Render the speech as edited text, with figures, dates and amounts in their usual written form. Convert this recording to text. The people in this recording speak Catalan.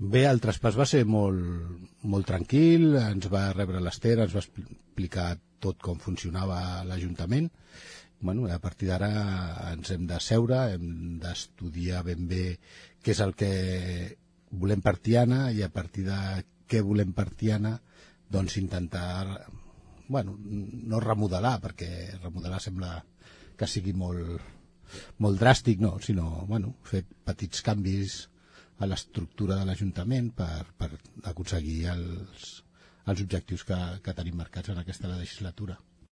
Bé, el traspàs va ser molt tranquil, ens va rebre l'Ester, ens va explicar tot com funcionava l'Ajuntament. Bueno, a partir d'ara ens hem de seure, hem d'estudiar ben bé què és el que volem per Tiana i a partir de què volem per Tiana doncs intentar, bueno, no remodelar, perquè remodelar sembla que sigui molt dràstic, no, sinó bueno, fer petits canvis a l'estructura de l'Ajuntament per aconseguir els objectius que tenim marcats en aquesta legislatura.